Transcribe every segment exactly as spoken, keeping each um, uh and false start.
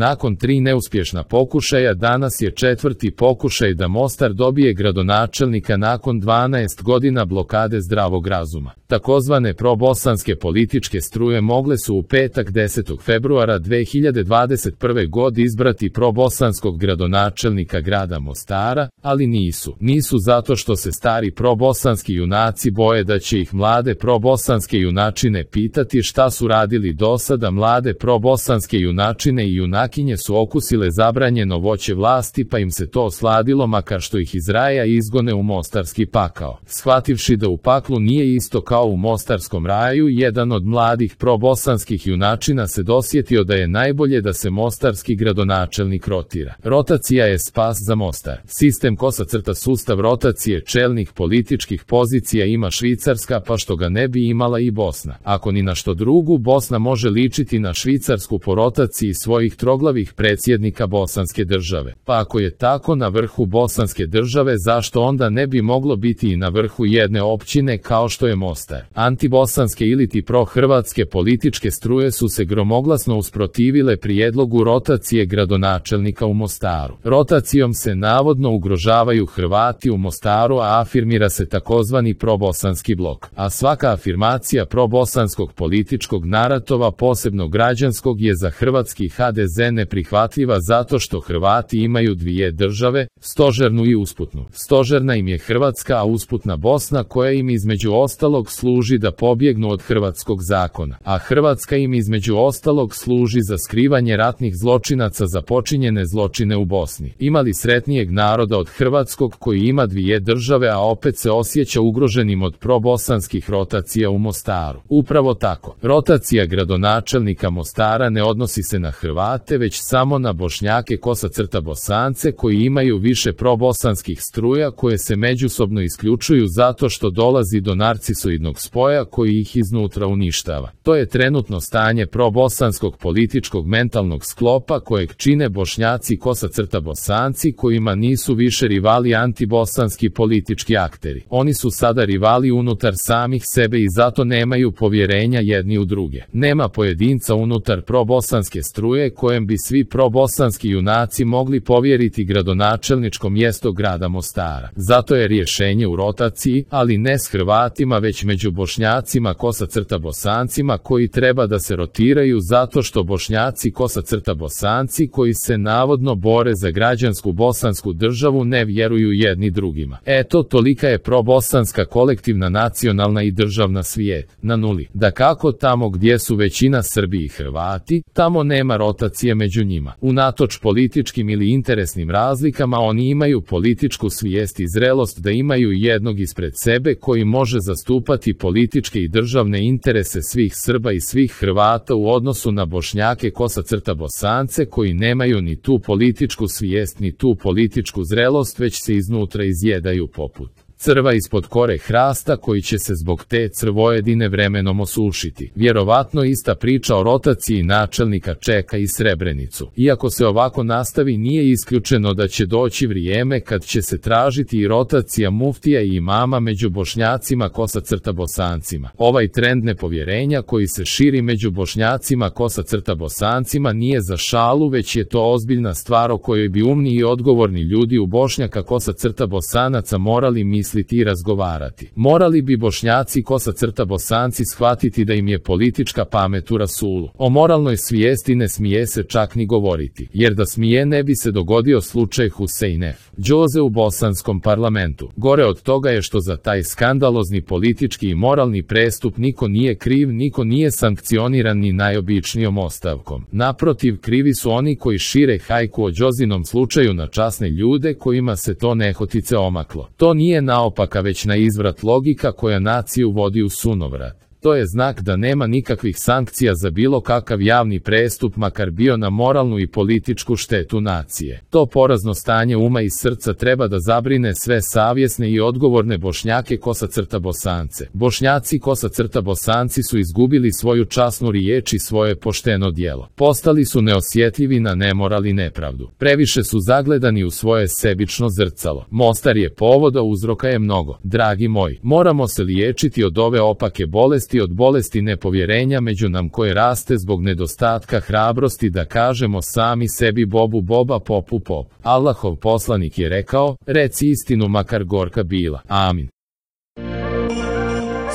Nakon tri neuspješna pokušaja danas je četvrti pokušaj da Mostar dobije gradonačelnika nakon dvanaest godina blokade zdravog razuma. Takozvane probosanske političke struje mogle su u petak desetog februara dve hiljade dvadeset prve. godine izbrati probosanskog gradonačelnika grada Mostara, ali nisu. Nisu zato što se stari probosanski junaci boje da će ih mlade probosanske junačine pitati šta su radili do sada. Mlade probosanske junačine i junakinje su okusile zabranjeno voće vlasti, pa im se to osladilo, makar što ih iz raja izgone u mostarski pakao. Shvativši da u paklu nije isto kao u mostarskom raju, jedan od mladih probosanskih junačina se dosjetio da je najbolje da se mostarski gradonačelnik rotira. Rotacija je spas za Mostar. Sistem kosa crta sustav rotacije čelnih političkih pozicija ima Švicarska, pa što ga ne bi imala i Bosna. Ako ni na što drugu, Bosna može ličiti na Švicarsku po rotaciji svojih troglavih predsjednika bosanske države. Pa ako je tako na vrhu bosanske države, zašto onda ne bi moglo biti i na vrhu jedne općine kao što je Mostar? Antibosanske iliti prohrvatske političke struje su se gromoglasno usprotivile prijedlogu rotacije gradonačelnika u Mostaru. Rotacijom se navodno ugrožavaju Hrvati u Mostaru, a afirmira se takozvani probosanski blok. A svaka afirmacija probosanskog političkog naratova, posebno građanskog, je za hrvatski ha de ze neprihvatljiva zato što Hrvati imaju dvije države, stožernu i usputnu. Stožerna im je Hrvatska, a usputna Bosna, koja im između ostalog služi da pobjegnu od hrvatskog zakona, a Hrvatska im između ostalog služi za skrivanje ratnih zločinaca za počinjene zločine u Bosni. Ima li sretnijeg naroda od hrvatskog koji ima dvije države, a opet se osjeća ugroženim od probosanskih rotacija u Mostaru? Upravo tako. Rotacija gradonačelnika Mostara ne odnosi se na Hrvate, već samo na Bošnjake kosa crta Bosance koji imaju više probosanskih struja koje se međusobno isključuju zato što dolazi do narcisoidnog spoja koji ih iznutra uništava. To je trenutno stanje probosanskog političkog mentalnog sklopa kojeg čine Bošnjaci kosa crta Bosanci, kojima nisu više rivali antibosanski politički akteri. Oni su sada rivali unutar samih sebe i zato nemaju povjerenja jedni u druge. Nema pojedinca unutar probosanske struje kojem bi svi probosanski junaci mogli povjeriti gradonačelničko mjesto grada Mostara. Zato je rješenje u rotaciji, ali ne s Hrvatima, već među Bošnjacima kosa crta Bosancima koji treba da se rotiraju zato što Bošnjaci kosa crta Bosanci koji se navodno bore za građansku bosansku državu ne vjeruju jedni drugima. Eto, tolika je probosanska kolektivna nacionalna i državna svijet na nuli. Da kako tamo gdje su većina Srbi i Hrvati, tamo nema rotacije među njima. Unatoč političkim ili interesnim razlikama, oni imaju političku svijest i zrelost da imaju jednog ispred sebe koji može zastupati političke i državne interese svih Srba i svih Hrvata u odnosu na Bošnjake kosa crta Bosance koji nemaju ni tu političku svijest ni tu političku zrelost, već se iznutra izjedaju poput crva ispod kore hrasta koji će se zbog te crvojedine vremenom osušiti. Vjerovatno ista priča o rotaciji načelnika čeka i Srebrenicu. Iako se ovako nastavi, nije isključeno da će doći vrijeme kad će se tražiti i rotacija muftija i imama među Bošnjacima kosa crta Bosancima. Ovaj trend nepovjerenja koji se širi među Bošnjacima kosa crta Bosancima nije za šalu, već je to ozbiljna stvar o kojoj bi umni i odgovorni ljudi u Bošnjaka kosa crta Bosanaca morali misliti i razgovarati. Morali bi Bošnjaci kosa crta Bosanci shvatiti da im je politička pamet u rasulu. O moralnoj svijesti ne smije se čak ni govoriti, jer da smije ne bi se dogodio slučaj Huseinef Džoze u bosanskom parlamentu. Gore od toga je što za taj skandalozni politički i moralni prestup niko nije kriv, niko nije sankcioniran ni najobičnijom ostavkom. Naprotiv, krivi su oni koji šire hajku o Džozinom slučaju na časne ljude kojima se to nehotice omaklo. To nije naopaka, već na izvrat logika koja naciju vodi u sunovrat. To je znak da nema nikakvih sankcija za bilo kakav javni prestup, makar bio na moralnu i političku štetu nacije. To porazno stanje uma i srca treba da zabrine sve savjesne i odgovorne Bošnjake kosa crta Bosance. Bošnjaci kosa crta Bosanci su izgubili svoju časnu riječ i svoje pošteno djelo. Postali su neosjetljivi na nemoral i nepravdu. Previše su zagledani u svoje sebično zrcalo. Mostar je povod, a uzroka je mnogo. Dragi moji, moramo se liječiti od ove opake bolesti bolesti od bolesti nepovjerenja među nam koje raste zbog nedostatka hrabrosti da kažemo sami sebi bobu boba popu pop. Allahov poslanik je rekao, reci istinu makar gorka bila. Amin.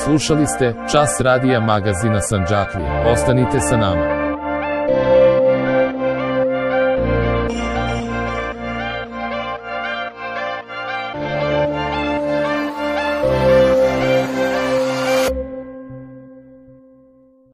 Slušali ste Čas radija magazina Sandžaklija. Ostanite sa nama.